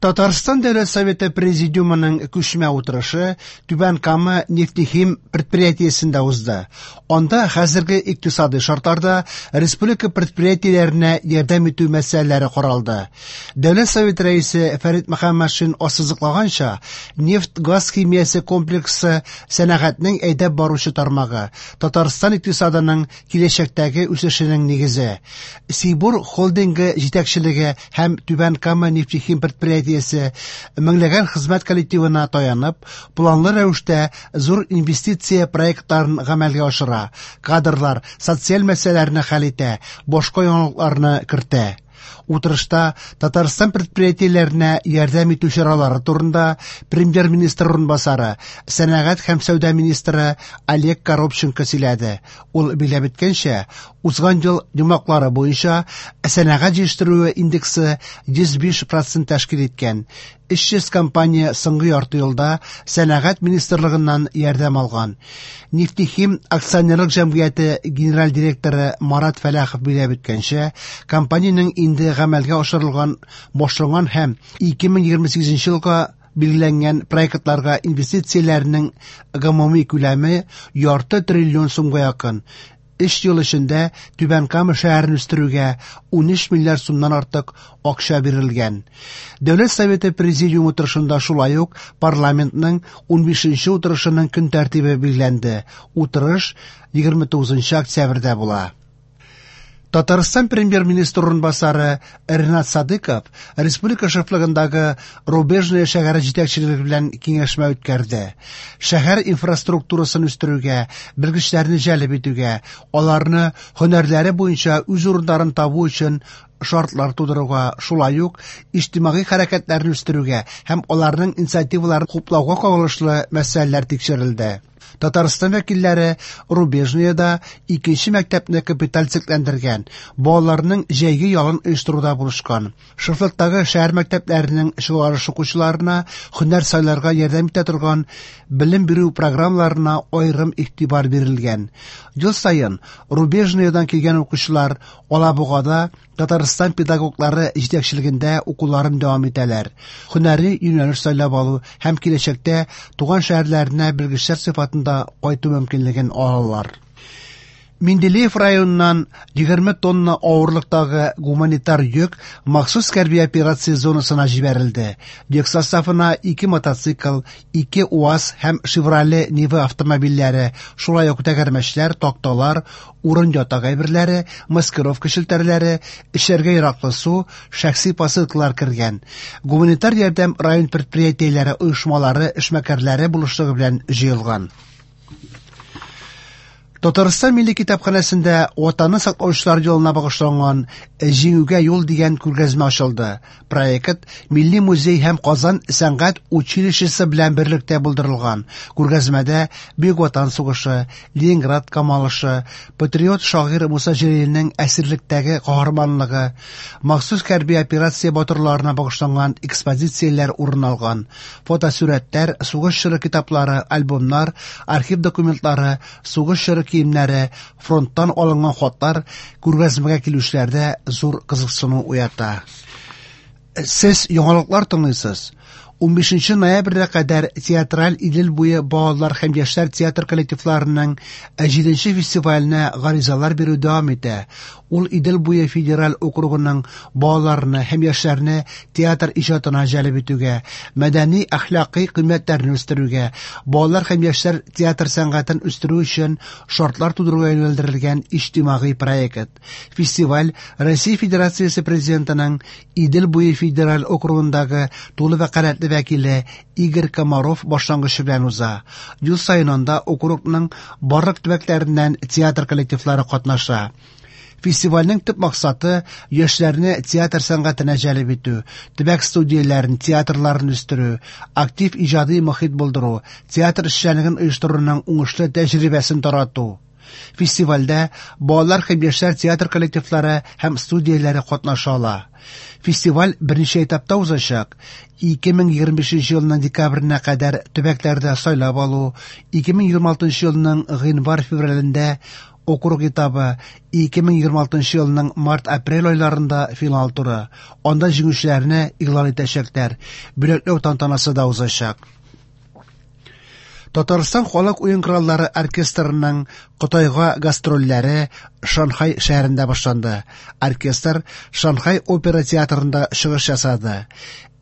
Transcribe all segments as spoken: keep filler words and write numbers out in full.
Татарстан Дәүләт Советы Президиумының күчмә утырышы Түбән Кама нефтехим предприятиесендә узды. Анда хәзерге икътисадый шартларда республика предприятиеләренә ярдәм итү мәсьәләләре каралды. Дәүләт Советы рәисе Фәрит Мөхәммәтшин ассызыклаганча, нефть-газ химиясе комплексы сәнәгатьнең әйдәп баручы тармагы, Татарстан икътисадының киләчәктәге үсешенең нигезе. Сибур холдингы җитәкчелеге һәм Түбән Кама нефтехим предприятиесе меңләгән хезмәт коллективына таянып, планлы рәвештә зур инвестиция проектларын гамәлгә ашыра, кадрлар, социаль мәсьәләләрне хәл итә, башка яңалыкларны кертә. Утырышта Татарстан предприятиеләренә ярдәм итү чаралары турында премьер-министр урынбасары, сәнәгать һәм сәүдә министры Олег Коробченко сөйләде. Ул билгеләп үткәнчә, узган ел йомгаклары буенча сәнәгать җитештерүе индексы йөз биш процент тәшкил иткән. Өч йөз компания соңгы ярты елда сәнәгать министрлыгыннан ярдәм алган. Нефтехим акционерлык җәмгыяте генераль директоры Марат Фәләхов билгеләп үткәнчә, компаниянең инде гамәлгә ашырылган башланган һәм ике мең егерме сигезенче елга билгеләнгән проектларга инвестицияләрнең гомуми күләме ярты триллион сумга якын. Өч ел эчендә Түбән Кама шәһәрен үстерүгә унөч миллиард сумнан артык акча бирелгән. Дәүләт Советы Президиумы утырышында шулай ук парламентның унбишенче утырышының көн тәртибе билгеләнде. Утырыш егерме тугызынчы октябрьдә була. Татарстан премьер-министр урынбасары Ринат Садыков республика шефлыгындагы Рубежное шәһәре җитәкчелеге белән киңәшмә үткәрде. Шәһәр инфраструктурасын үстерүгә, белгечләрне җәлеп итүгә, аларны һөнәрләре буенча үз урыннарын табу өчен шартлар тудыруга, шулай ук иҗтимагый хәрәкәтләрне үстерүгә һәм аларның инициативаларын хуплауга кагылышлы мәсьәләләр тикшерелде. Татарстан вәкилләре Рубежныйда икенче мәктәпне капиталь төзекләндергән, балаларның җәйге ялын оештыруда булышкан. Шефлыктагы шәһәр мәктәпләренең чыгарылыш укучыларына һөнәр сайларга ярдәм итә торган белем бирү программаларына аерым игътибар бирелгән. Ел саен Рубежныйдан килгән укучылар Алабугада Татарстан педагоглары җитәкчелегендә укуларын дәвам итәләр. Һөнәри юнәлеш сайлап алу һәм киләчәктә туган шәһәрләренә белгечләр сыйфатында кайту мөмкинлеген алалар. Менделеев районыннан егерме тонна авырлыктагы гуманитар йөк махсус хәрби операция зонасына җибәрелде. Йөк составына ике мотоцикл, ике УАЗ һәм Шевроле Нива автомобильләре, шулай ук тәгәрмәчләр, такталар, урын ятак әйберләре, маскировка челтәрләре, эчәргә яраклы су, шәхси посылкалар кергән. Гуманитар ярдәм район предприятиеләре, оешмалары, эшмәкәрләре булышлыгы белән җыелган. Татарстан Милли китапханәсендә Ватанны саклаучылар елына багышланган Җиңүгә юл дигән күргәзмә ачылды. Проект Милли музей һәм Казан сәнгать училищесы белән берлектә булдырылган. Күргәзмәдә Бөек Ватан сугышы, Ленинград камалышы, патриот шагыйрь Муса Җәлилнең әсирлектәге каһарманлыгы, махсус хәрби операция батырларына багышланган экспозицияләр урын алган. Фотосурәтләр, сугыш чоры китаплары, альбомнар, архив документлары, сугыш чоры киемнәре, фронттан алынган хатлар күргәзмәгә килүчеләрдә зур кызыксыну уята. Сез яңалыклар тыңлыйсыз. Унбишенче ноябрьгә кадәр театраль Идел буе балалар һәм яшьләр театр коллективларының җиденче фестиваленә гаризалар бирү дәвам итә. Ул Идел буе федераль округының балаларны һәм яшьләрне театр иҗатына җәлеп итүгә, мәдәни әхлакый кыйммәтләрне үстерүгә, балалар һәм яшьләр театр сәнгатен үстерү өчен шартлар тудыруга юнәлдерелгән иҗтимагый проект. Фестиваль Россия Федерациясе президентының Идел буе федераль округындагы тулы вәкаләтле вәкиле Игорь Комаров башлангычы белән уза. Ел саен анда округның барлык төбәкләреннән театр коллективлары катнаша. Фестивальнең төп максаты яшьләрне театр сәнгатенә җәлеп итү, төбәк студияләрен, театрларын үстерү, актив иҗади мохит булдыру, театр эшчәнлеген оештыруның уңышлы тәҗрибәсен тарату. Фестивальдә балалар һәм яшьләр театр коллективлары һәм студияләре катнаша ала. Фестиваль берничә этапта узачак. Ике мең егерме бишенче елның декабренә кадәр төбәкләрдә сайлап алу, ике мең егерме алтынчы елның гыйнвар-февралендә Округ этабы, ике мең егерме алтынчы елның март-апрель айларында финал туры. Анда җиңүчеләрне игълан итәчәкләр. Бүләкләү тантанасы да узачак. Татарстан халык уен кораллары оркестрының Кытайга гастрольләре Шанхай шәһәрендә башланды. Оркестр Шанхай опера театрында чыгыш ясады.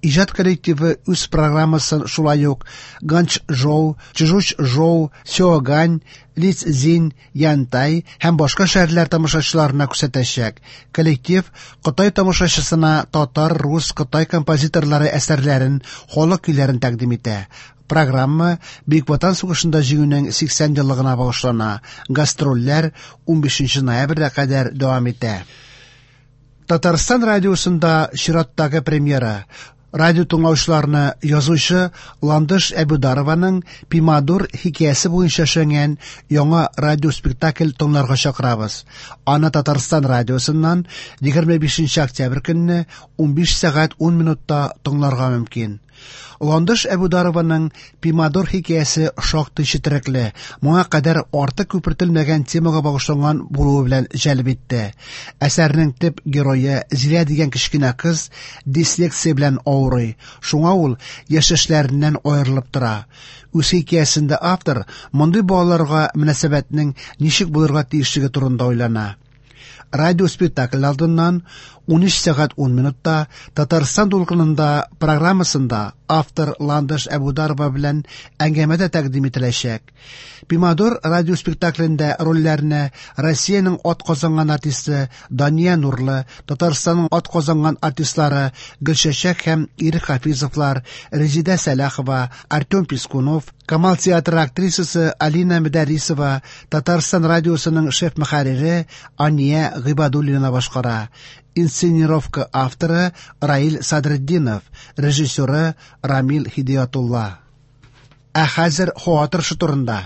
Иҗат коллективы үз программасын шулай ук Ганчжоу, Чжучжоу, Сяогань, Лицзин, Янтай һәм башка шәһәрләр тамашачыларына күрсәтәчәк. Коллектив Кытай тамашачысына татар, рус, кытай композиторлары әсәрләрен, халык көйләрен тәкъдим итә. Программа Бөек Ватан сугышында җиңүнең сиксән еллыгына багышлана. Гастрольләр унбишенче ноябрьгә кадәр дәвам итә. Татарстан радиосында чираттагы премьера. Радио тыңлаучыларны язучы Ландыш Әбүдарованың Пимадур хикәясе буенча эшләнгән яңа радиоспектакль тыңларга чакырабыз. Аны Татарстан радиосыннан егерме бишенче октябрь көнне унбиш сәгать ун минутта тыңларга мөмкин. Ландыш Әбүдарованың Пимадур хикәясе шактый четерекле, моңа кадәр артык күпертелмәгән темага багышланган булуы белән җәлеп итте. Әсәрнең төп герое Зилә дигән кечкенә кыз дислексия белән авырый, шуңа ул яшьтәшләреннән аерылып тора. Үз хикәясендә автор мондый балаларга мөнәсәбәтнең ничек булырга тиешлеге турында уйлана. Радиоспектакль алдыннан унөч сәгать ун минутта Татарстан дулкынында программасында автор Ландыш Әбүдарова белән әңгәмә дә тәкъдим ителәчәк. Пимадур радиоспектаклендә рольләрне Россиянең ат казанган артисты Дания Нурлы, Татарстанның ат казанган артистлары Гөлчәчәк һәм Ирек Хафизовлар, Резидә Сәлахова, Артем Пискунов, Камал театры актрисасы Алина Мөдәррисова, Татарстан радиосының шеф-мөхәррире Ания Гыйбадуллина башкара. Инсценировка авторы Раил Садретдинов, режиссеры Рамил Хидиятулла. Ә хәзер һава торышы турында.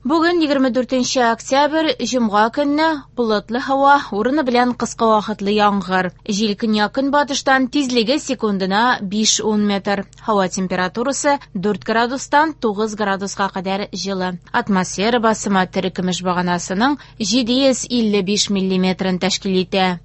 Бүген егерме дүртенче октябрь, җомга көнне болытлы һава, урыны белән кыска вакытлы яңгыр. Җил көньяк-көнбатыштан, тизлеге секундына биш-ун метр. Һава температурасы дүрт градустан тугыз градуска кадәр җылы. Атмосфера басымы терекөмеш баганасының җиде йөз илле биш миллиметрын тәшкил итә.